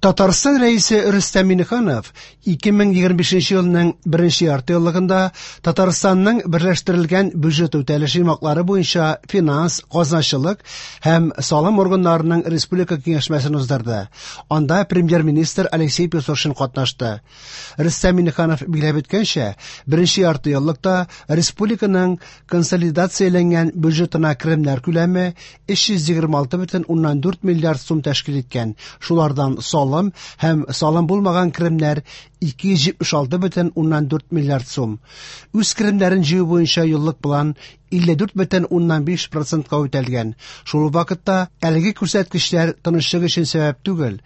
Татарстан Рәисе Рөстәм Миңнеханов 2025 елның беренче яртыеллыгында Татарстанның берләштерелгән бюджет үтәлеше йомгаклары буенча финанс, казначылык һәм салым органнарының республика киңәшмәсен уздырды. Анда премьер-министр Алексей Песошин катнашты. Рөстәм Миңнеханов билгеләп үткәнчә, беренче яртыеллыкта республиканың консолидацияләнгән бюджетына керемнәр күләме 326,4 миллиард сум тәшкил иткән. Шулардан салым һәм салым булмаган керемнәр 276,4 миллиард сум. Үз керемнәрен җыю буенча еллык план 54,5 процентка үтәлгән. Шул ук вакытта әлеге күрсәткечләр тынычлык өчен сәбәп түгел.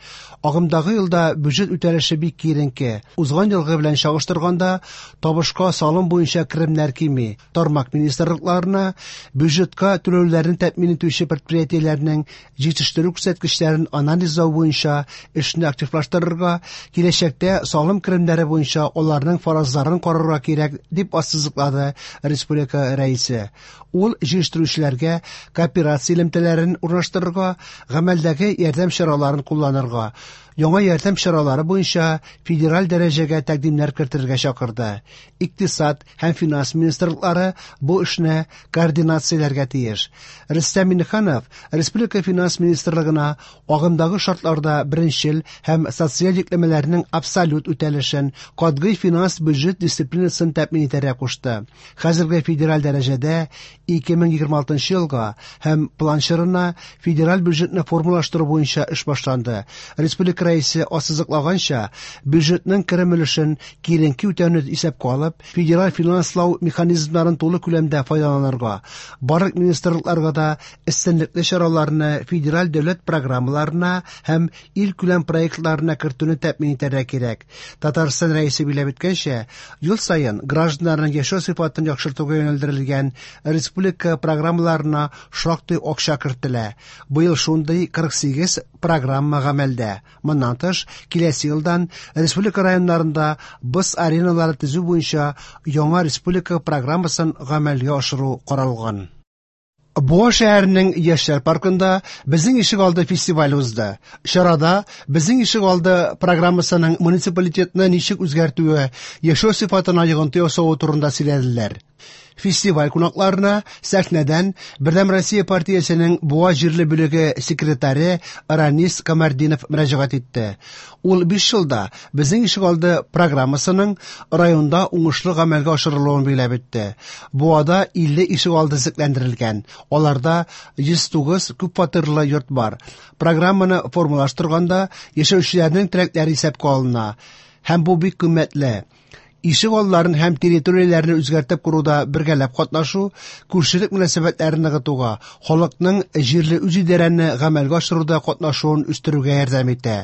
Агымдагы елда бюджет үтәлеше бик киеренке. Узган елгы белән чагыштырганда табышка салым буенча керемнәр кими. Тармак министрлыкларына бюджетка түләүләрне тәэмин итүче предприятиеләрнең җитештерү күрсәткечләрен анализлау буенча эшне активлаштырырга, киләчәктә салым керемнәре буенча аларның фаразларын карарга кирәк, дип ассызыклады республика Рәисе. Ул җитештерүчеләргә кооперация элемтәләрен урнаштырырга, гамәлдәге ярдәм чараларын кулланырга, яңа ярдәм чаралары буенча федераль дәрәҗәгә тәкъдимнәр кертергә чакырды. Икътисад һәм финанс министрлыклары бу эшне координацияләргә тиеш. Рөстәм Миңнеханов республика финанс министрлыгына агымдагы шартларда беренчел һәм социаль йөкләмәләрнең абсолют үтәлешен, катгый финанс бюджет дисциплинасын тәэмин итәргә кушты. Хәзерге федераль дәрәҗәдә 2026 елга һәм план чорына федераль бюджетны формалаштыру буенча эш башланды. Республика Рәисе ассызыклаганча, бюджетның керем өлешен киеренке үтәүне исәпкә алып, федераль финанслау механизмнарын тулы күләмдә файдаланырга, барлык министрлыкларга да өстенлекле чараларны федераль дәүләт программаларына һәм илкүләм проектларына кертүне тәэмин итәргә кирәк. Татарстан Рәисе билгеләп үткәнчә, ел саен гражданнарның яшәү сыйфатын яхшыртуга юнәлдерелгән республика программаларына шактый акча кертелә. Быел шундый 48 программа гамәлдә. Моннан тыш, киләсе елдан республика районнарында боз ареналары төзү буенча яңа республика программасын гамәлгә ашыру каралган. Буа шәһәренең Яшьләр паркында Безнең ишегалды фестивале узды. Чарада Безнең ишегалды программасының муниципалитетны ничек үзгәртүе, яшәү сыйфатына йогынты ясавы турында сөйләделәр. Фестиваль кунакларына сәхнәдән Бердәм Россия партиясенең Буа җирле бүлеге секретаре Ранис Камәрдинов мөрәҗәгать итте. Ул 5 елда Безнең ишегалды программасының районда уңышлы гамәлгә ашырылуын билгеләп үтте. Буада 50 ишегалды төзекләндерелгән. Аларда 109 күпфатирлы йорт бар. Программаны формалаштырганда яшәүчеләрнең теләкләре исәпкә алына. Һәм бу бик кыйммәтле. Ишек алларын һәм территорияләрне үзгәртеп коруда бергәләп катнашу, күршелек мөнәсәбәтләрен ныгытуга, халыкның җирле үзидарәне гамәлгә ашыруда катнашуын үстерүгә ярдәм итә.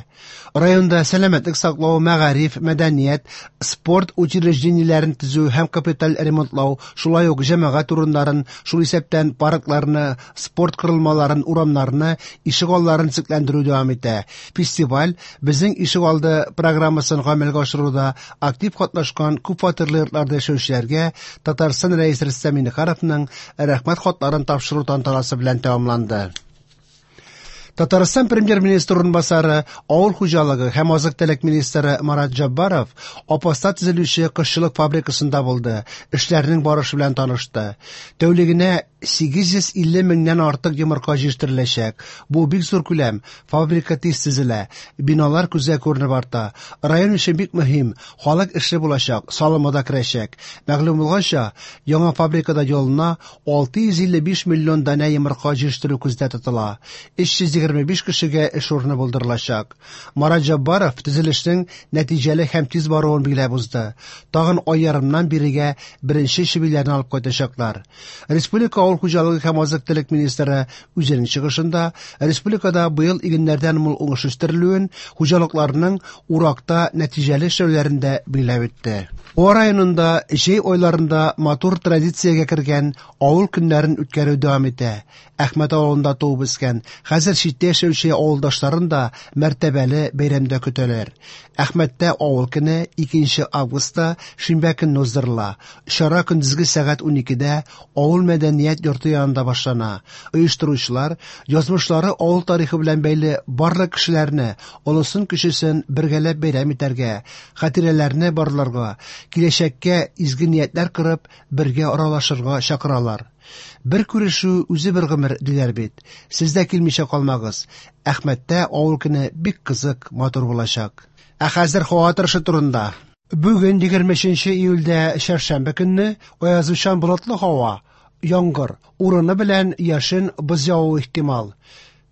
Районда сәламәтлек саклау, мәгариф, мәдәният, спорт учреждениеләрен төзү һәм капиталь ремонтлау, шулай ук җәмәгать урыннарын, шул исәптән паркларны, спорт корылмаларын, урамнарны, ишек алларын төзекләндерү дәвам итә. Фестиваль Безнең ишегалды программасын гамәлгә ашыруда актив катнашкан күпфатирлы йортларда яшәүчеләргә Татарстан Рәисе Рөстәм Миңнехановның Рәхмәт хатларын тапшыру тантанасы белән тәмамланды. Татарстан премьер-министры урынбасары, авыл хуҗалыгы һәм азык-төлек министры Марат Җаббаров Апаста төзелүче кошчылык фабрикасында булды, эшләрнең барышы белән танышты. Тәүлегенә 850 меңнән артык йомырка җитештереләчәк. Бу бик зур күләм. Фабрика тиз төзелә. Биналар күзгә күренеп арта. Район өчен бик мөһим. Халык эшле булачак, салымы да керәчәк. Мәгълүм булганча, яңа фабрикада елына 655 миллион данә йомырка җитештерү күздә тотыла. 325 кешегә эш урыны булдырылачак. Марат Җаббаров төзелешнең нәтиҗәле һәм тиз баруын билгеләп узды. Тагын ай ярымнан бирегә беренче чебиләрне алып кайтачаклар. Республика авыл хуҗалыгы һәм азык-төлек министры үзенең чыгышында республикада быел игеннәрдән мул уңыш үстерелүен, хуҗалыкларның уракта нәтиҗәле эшләүләрен дә билгеләп үтте. Буа районында җәй айларында матур традициягә кергән авыл көннәрен үткәрү дәвам итә. Әхмәт авылында туып үскән, хәзер читтә читтә яшәүче авылдашларын да мәртәбәле бәйрәмдә көтәләр. Әхмәттә авыл көне 2 августта шимбә көнне уздырыла. Чара көндезге сәгать 12дә авыл мәдәният йорты янында башлана. Оештыручылар язмышлары авыл тарихы белән бәйле барлык кешеләрне, олысын-кечесен бергәләп бәйрәм итәргә, хатирәләрне барларга, киләчәккә изге ниятләр корып, бергә аралашырга чакыралар. Бер күрешү үзе бер гомер, диләр бит. Сез дә килмичә калмагыз. Әхмәттә авыл көне бик кызык, матур булачак. Ә хәзер һава торышы турында. Бүген 23 июльдә чәршәмбе көнне аязучан болытлы һава, яңгыр, урыны белән яшен, боз явуы ихтимал.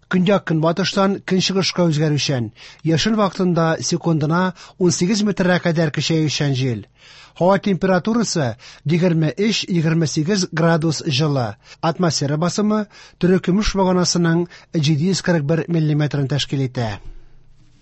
Көньяк-көнбатыштан көнчыгышка үзгәрүчән, яшен вакытында секундына 18 метрга кадәр көчәючән җил. Һава температурасы 23-28 градус җылы. Атмосфера басымы терекөмеш баганасының 741 миллиметрын тәшкил итә.